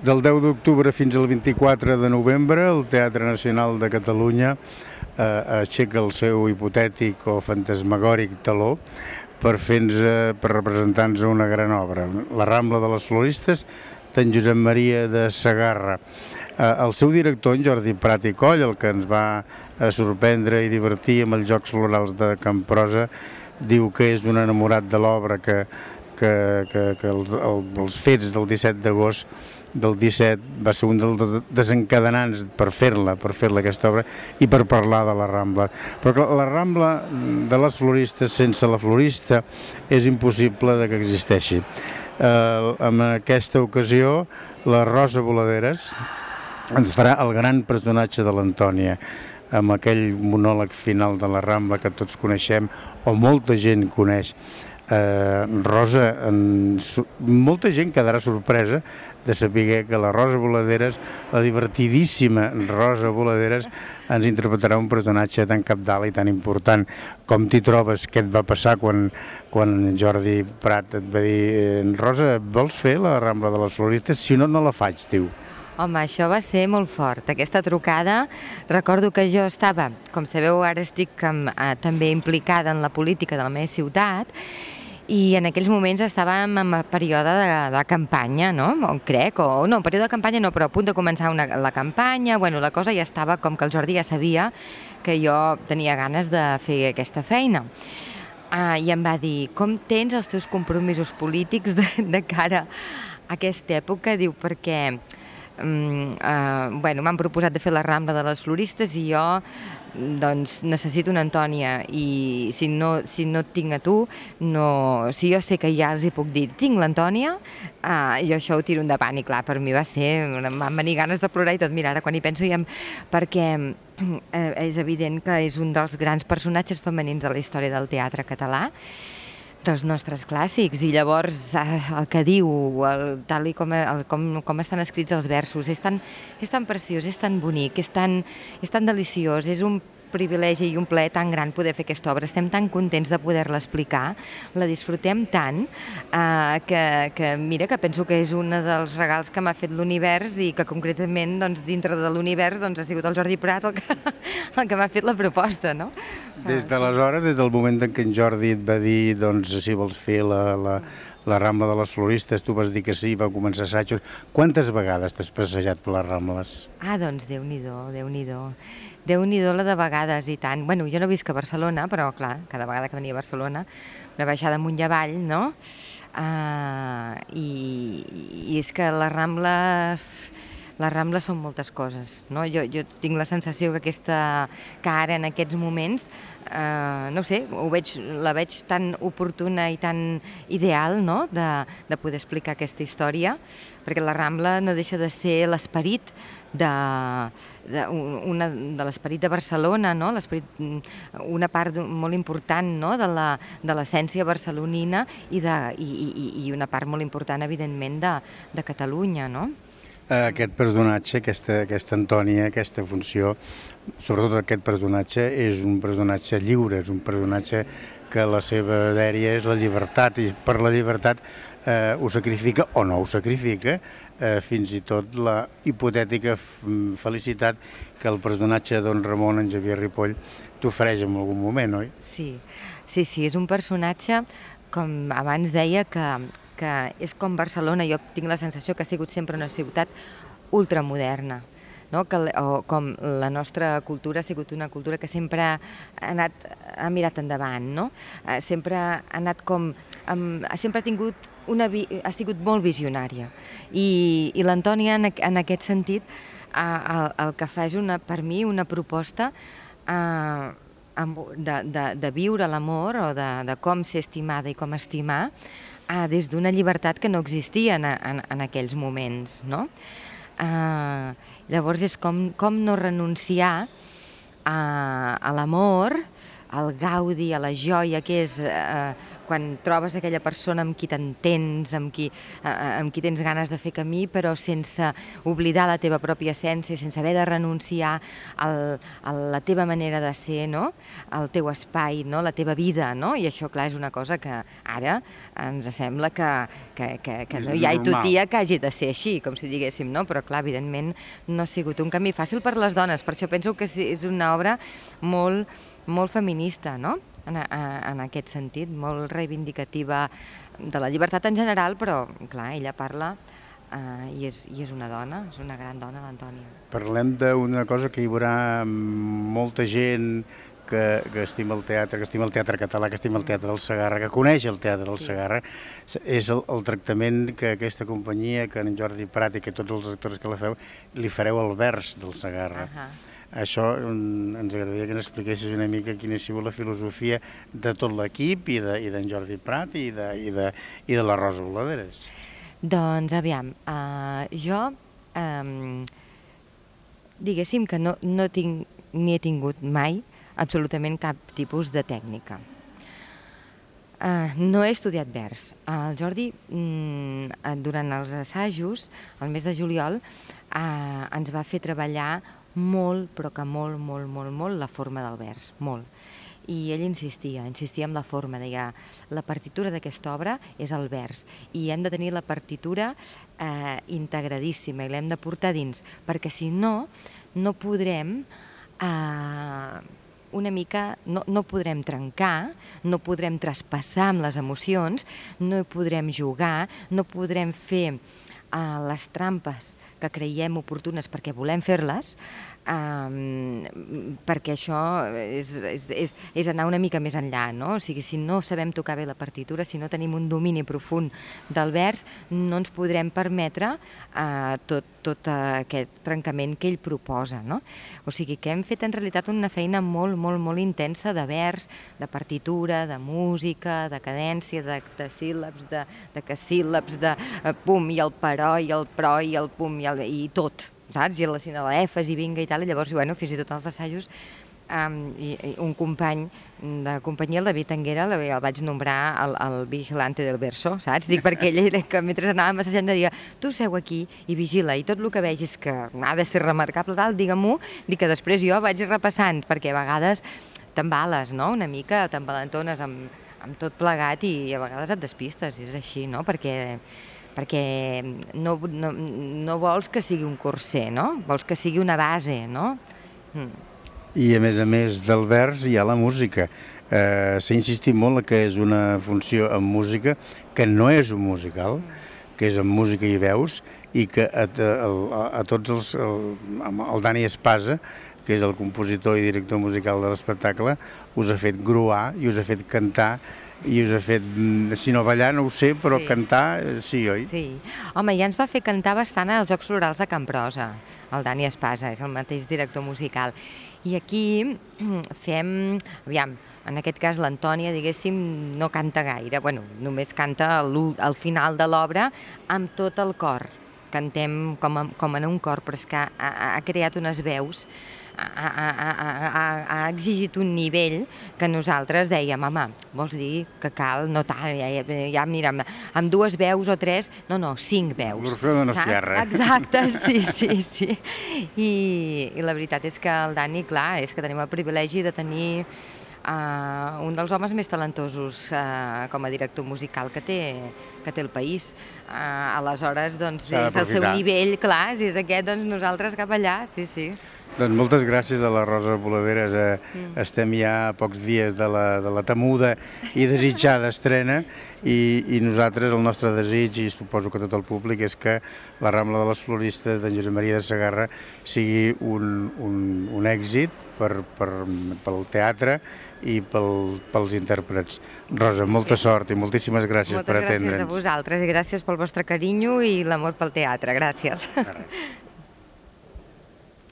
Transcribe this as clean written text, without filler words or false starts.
Del 10 d'octubre fins al 24 de novembre, el Teatre Nacional de Catalunya aixeca el seu hipotètic o fantasmagòric taló per representar-nos una gran obra, La Rambla de les Floristes, d'en Josep Maria de Segarra. El seu director, en Jordi Prat i Coll, el que ens va sorprendre i divertir amb els Jocs Florals de Camprosa, diu que és un enamorat de l'obra, que els fets del 17 d'agost del 17 va ser un dels desencadenants per fer-la aquesta obra i per parlar de la Rambla. Però clar, la Rambla de les Floristes, sense la florista, és impossible que existeixi. En aquesta ocasió, la Rosa Boladeres ens farà el gran personatge de l'Antònia, amb aquell monòleg final de la Rambla que tots coneixem, o molta gent coneix. Rosa, molta gent quedarà sorpresa de saber que la Rosa Boladeres, la divertidíssima Rosa Boladeres, ens interpretarà un personatge tan cabdal i tan important. Com t'hi trobes? Què et va passar quan Jordi Prat et va dir Rosa, vols fer la Rambla de les Floristes? Si no, no la faig, diu. Home, això va ser molt fort, aquesta trucada. Recordo que jo estava, com sabeu, ara estic també implicada en la política de la meva ciutat, i en aquells moments estàvem en període de campanya, no? Crec, o no, període de campanya no, però a punt de començar la campanya, bueno, la cosa ja estava com que el Jordi ja sabia que jo tenia ganes de fer aquesta feina. I em va dir, com tens els teus compromisos polítics de cara a aquesta època? Diu, perquè m'han proposat de fer la Rambla de les Floristes i jo doncs necessito una Antònia, i si no et tinc a tu, si jo sé que ja els hi puc dir tinc l'Antònia, jo això ho tiro endavant. I clar, per mi em van venir ganes de plorar i tot. Mira, ara quan hi penso perquè és evident que és un dels grans personatges femenins de la història del teatre català, dels nostres clàssics, i llavors el que diu, tal i com estan escrits els versos, és tan preciós, és tan bonic, és tan deliciós, és un privilegi i un plaer tan gran poder fer aquesta obra. Estem tan contents de poder-la explicar, la disfrutem tant, que mira, que penso que és un dels regals que m'ha fet l'univers, i que concretament dintre de l'univers ha sigut el Jordi Prat el que m'ha fet la proposta, no? Des d'aleshores, des del moment en què en Jordi et va dir si vols fer la Rambla de les Floristes, tu vas dir que sí, va començar assajos. Quantes vegades t'has passejat per les Rambles? Doncs Déu-n'hi-do, Déu-n'hi-do la de vegades, i tant. Bueno, jo no visc a Barcelona, però clar, cada vegada que venia a Barcelona, una baixada amunt i avall, no? I és que la Rambla són moltes coses, no? Jo tinc la sensació que ara en aquests moments, no ho sé, la veig tan oportuna i tan ideal, no?, de poder explicar aquesta història, perquè la Rambla no deixa de ser l'esperit de l'esperit de Barcelona, no? Una part molt important, no?, de l'essència barcelonina, i una part molt important, evidentment, de Catalunya, no? Aquest personatge, aquesta Antònia, aquesta funció, sobretot aquest personatge, és un personatge lliure, és un personatge que la seva dèria és la llibertat, i per la llibertat ho sacrifica o no ho sacrifica, fins i tot la hipotètica felicitat que el personatge de Don Ramon, en Xavier Ripoll, t'ofereix en algun moment, oi? Sí, és un personatge, com abans deia, que és com Barcelona. Jo tinc la sensació que ha sigut sempre una ciutat ultramoderna, no? Com la nostra cultura ha sigut una cultura que sempre ha mirat endavant, no? Sempre ha sigut molt visionària, i l'Antònia en aquest sentit el que fa és per mi una proposta de viure l'amor, o de com ser estimada i com estimar, des d'una llibertat que no existia en aquells moments, no? Llavors és com no renunciar a l'amor, al gaudi, a la joia, que és quan trobes aquella persona amb qui t'entens, amb qui tens ganes de fer camí, però sense oblidar la teva pròpia essència, sense haver de renunciar a la teva manera de ser, no? Al teu espai, no? La teva vida, no? I això, clar, és una cosa que ara ens sembla que no hi ha tutia que hagi de ser així, com si diguéssim, no? Però, clar, evidentment no ha sigut un camí fàcil per les dones, per això penso que és una obra molt feminista, no? En aquest sentit, molt reivindicativa de la llibertat en general, però, clar, ella parla i és una dona, és una gran dona, l'Antònia. Parlem d'una cosa que hi haurà molta gent que estima el teatre, que estima el teatre català, que estima el teatre del Segarra, que coneix el teatre del Segarra, és el tractament que aquesta companyia, que en Jordi Prat i que tots els actors que la feu, li fareu el vers del Segarra. Això ens agradaria que ens expliquessis una mica quina ha sigut la filosofia de tot l'equip i d'en Jordi Prat i de la Rosa Boladeres. Doncs, aviam, jo diguéssim que no tinc ni he tingut mai absolutament cap tipus de tècnica. No he estudiat vers. El Jordi, durant els assajos, el mes de juliol, ens va fer treballar molt, però que molt, la forma del vers, molt. I ell insistia en la forma, deia, la partitura d'aquesta obra és el vers i hem de tenir la partitura integradíssima i l'hem de portar dins, perquè si no, no podrem una mica, no podrem trencar, no podrem traspassar amb les emocions, no podrem jugar, no podrem fer les trampes que creiem oportunes perquè volem fer-les, perquè això és anar una mica més enllà, no? O sigui, si no sabem tocar bé la partitura, si no tenim un domini profund del vers, no ens podrem permetre tot aquest trencament que ell proposa, no? O sigui, que hem fet en realitat una feina molt intensa de vers, de partitura, de música, de cadència, de síl·labs, de casíl·labs, de pum, i el però, i el pro, i el pum, i tot, saps? I la sinalefes i vinga i tal, i llavors, bueno, fins i tot als assajos, un company de companyia, el David Anguera, el vaig nombrar el vigilante del verso, saps? Dic, perquè ell, que mentre anàvem assajant, deia, tu seu aquí i vigila, i tot el que vegis que ha de ser remarcable, tal, digue-m'ho, dic que després jo vaig repassant, perquè a vegades t'embales, no?, una mica, t'embalentones amb tot plegat i a vegades et despistes, és així, no?, perquè no vols que sigui un curser, no? Vols que sigui una base, no? I a més del vers hi ha la música. S'ha insistit molt que és una funció amb música, que no és un musical, que és amb música i veus, i que a tots els... El Dani Espasa, que és el compositor i director musical de l'espectacle, us ha fet gruar i us ha fet cantar i us ha fet, si no ballar no ho sé, però cantar sí, oi? Sí. Home, ja ens va fer cantar bastant als Jocs Florals de Can Prosa, el Dani Espasa, és el mateix director musical. I aquí fem, aviam, en aquest cas l'Antònia, diguéssim, no canta gaire, bueno, només canta al final de l'obra amb tot el cor. Cantem com en un cor, però és que ha creat unes veus, ha exigit un nivell que nosaltres dèiem, home, vols dir que cal, no tal, ja mira, amb 2 veus o 3, no, 5 veus. L'Orfeu de Nostierra. Exacte, sí. I la veritat és que el Dani, clar, és que tenim el privilegi de tenir un dels homes més talentosos com a director musical que té el país. Aleshores, doncs, és el seu nivell, clar, si és aquest, doncs nosaltres cap allà, sí. Doncs moltes gràcies a la Rosa Boladeres. Estem ja a pocs dies de la temuda i desitjada estrena i nosaltres, el nostre desig, i suposo que tot el públic, és que la Rambla de les Floristes d'en Josep Maria de Segarra sigui un èxit pel teatre i pels intèrprets. Rosa, molta sort i moltíssimes gràcies per atendre'ns. Moltes gràcies a vosaltres i gràcies pel vostre carinyo i l'amor pel teatre. Gràcies.